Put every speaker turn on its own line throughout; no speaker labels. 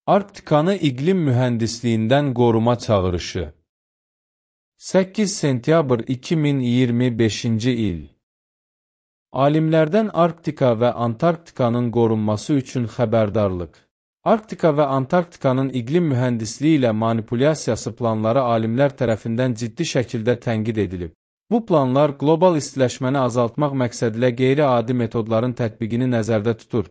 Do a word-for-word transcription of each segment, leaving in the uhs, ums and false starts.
Arktikanı iqlim mühəndisliyindən qoruma çağırışı. səkkiz sentyabr iki min iyirmi beşinci il. Alimlərdən Arktika və Antarktikanın qorunması üçün xəbərdarlıq. Arktika və Antarktikanın iqlim mühəndisliyi ilə manipulyasiyası planları alimlər tərəfindən ciddi şəkildə tənqid edilib. Bu planlar qlobal istiləşməni azaltmaq məqsədilə qeyri-adi metodların tətbiqini nəzərdə tutur.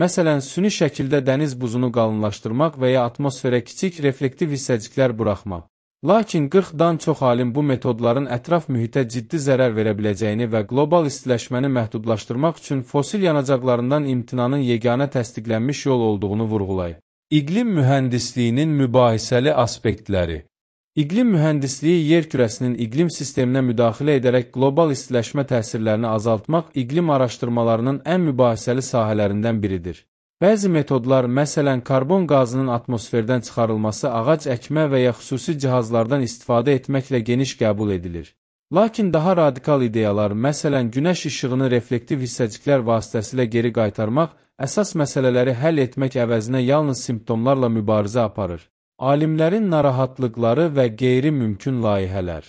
Məsələn, süni şəkildə dəniz buzunu qalınlaşdırmaq və ya atmosferə kiçik reflektiv hissəciklər buraxmaq. Lakin qırxdan çox alim bu metodların ətraf mühitə ciddi zərər verə biləcəyini və qlobal istiləşməni məhdudlaşdırmaq üçün fosil yanacaqlarından imtinanın yeganə təsdiqlənmiş yol olduğunu vurğulayır. İqlim mühəndisliyinin mübahisəli aspektləri. İqlim mühəndisliyi yer kürəsinin iqlim sisteminə müdaxilə edərək qlobal istiləşmə təsirlərini azaltmaq iqlim araşdırmalarının ən mübahisəli sahələrindən biridir. Bəzi metodlar, məsələn, karbon qazının atmosferdən çıxarılması ağac əkmə və ya xüsusi cihazlardan istifadə etməklə geniş qəbul edilir. Lakin daha radikal ideyalar, məsələn, günəş işığını reflektiv hissəciklər vasitəsilə geri qaytarmaq, əsas məsələləri həll etmək əvəzinə yalnız simptomlarla mübarizə aparır. Alimlərin narahatlıqları və qeyri-mümkün layihələr.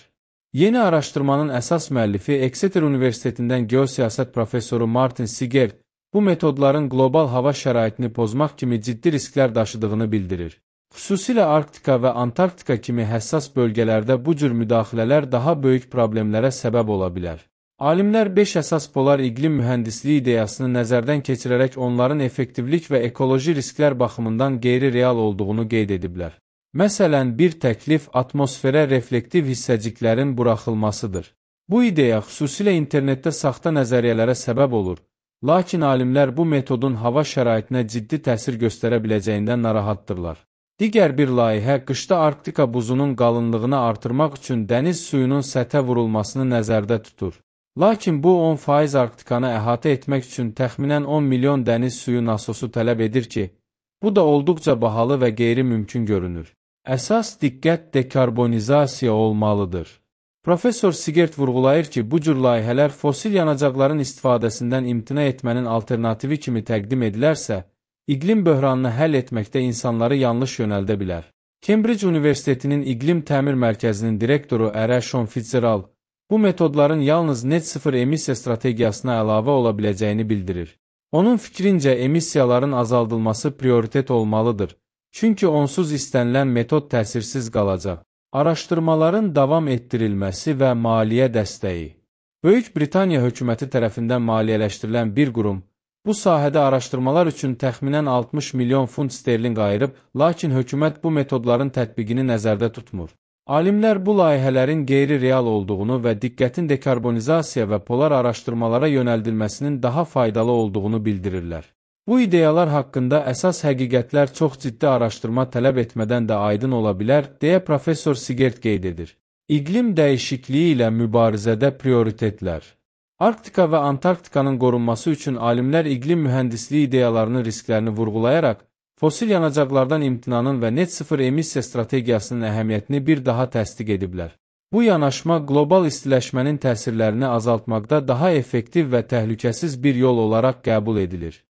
Yeni araşdırmanın əsas müəllifi Exeter Universitetindən geosiyasət professoru Martin Sigert, bu metodların qlobal hava şəraitini pozmaq kimi ciddi risklər daşıdığını bildirir. Xüsusilə Arktika və Antarktika kimi həssas bölgələrdə bu cür müdaxilələr daha böyük problemlərə səbəb ola bilər. Alimlər beş əsas polar iqlim mühəndisliyi ideyasını nəzərdən keçirərək onların effektivlik və ekoloji risklər baxımından qeyri-real olduğunu qeyd ediblər. Məsələn, bir təklif atmosferə reflektiv hissəciklərin buraxılmasıdır. Bu ideya xüsusilə internetdə saxta nəzəriyyələrə səbəb olur. Lakin alimlər bu metodun hava şəraitinə ciddi təsir göstərə biləcəyindən narahatdırlar. Digər bir layihə qışda Arktika buzunun qalınlığını artırmaq üçün dəniz suyunun səthə vurulmasını nəzərdə tutur. Lakin bu on faiz Arktikanı əhatə etmək üçün təxminən on milyon dəniz suyu nasosu tələb edir ki, bu da olduqca bahalı və qeyri-mümkün görünür. Əsas diqqət dekarbonizasiya olmalıdır. Professor Sigert vurğulayır ki, bu cür layihələr fosil yanacaqların istifadəsindən imtina etmənin alternativi kimi təqdim edilərsə, iqlim böhranını həll etməkdə insanları yanlış yönəldə bilər. Cambridge Universitetinin İqlim Təmir Mərkəzinin direktoru Ərəşon Fitzgerald, bu metodların yalnız net sıfır emissiya strategiyasına əlavə ola biləcəyini bildirir. Onun fikrincə, emissiyaların azaldılması prioritet olmalıdır, çünki onsuz istənilən metod təsirsiz qalacaq. Araşdırmaların davam etdirilməsi və maliyyə dəstəyi. Böyük Britaniya hökuməti tərəfindən maliyyələşdirilən bir qurum, bu sahədə araşdırmalar üçün təxminən altmış milyon funt sterling ayırıb, lakin hökumət bu metodların tətbiqini nəzərdə tutmur. Alimlər bu layihələrin qeyri-real olduğunu və diqqətin dekarbonizasiya və polar araşdırmalara yönəldilməsinin daha faydalı olduğunu bildirirlər. Bu ideyalar haqqında əsas həqiqətlər çox ciddi araşdırma tələb etmədən də aydın ola bilər, deyə professor Sigert qeyd edir. İqlim dəyişikliyi ilə mübarizədə prioritetlər. Arktika və Antarktikanın qorunması üçün alimlər iqlim mühəndisliyi ideyalarının risklərini vurğulayaraq, fosil yanacaqlardan imtinanın və net sıfır emissiya strategiyasının əhəmiyyətini bir daha təsdiq ediblər. Bu yanaşma qlobal istiləşmənin təsirlərini azaltmaqda daha effektiv və təhlükəsiz bir yol olaraq qəbul edilir.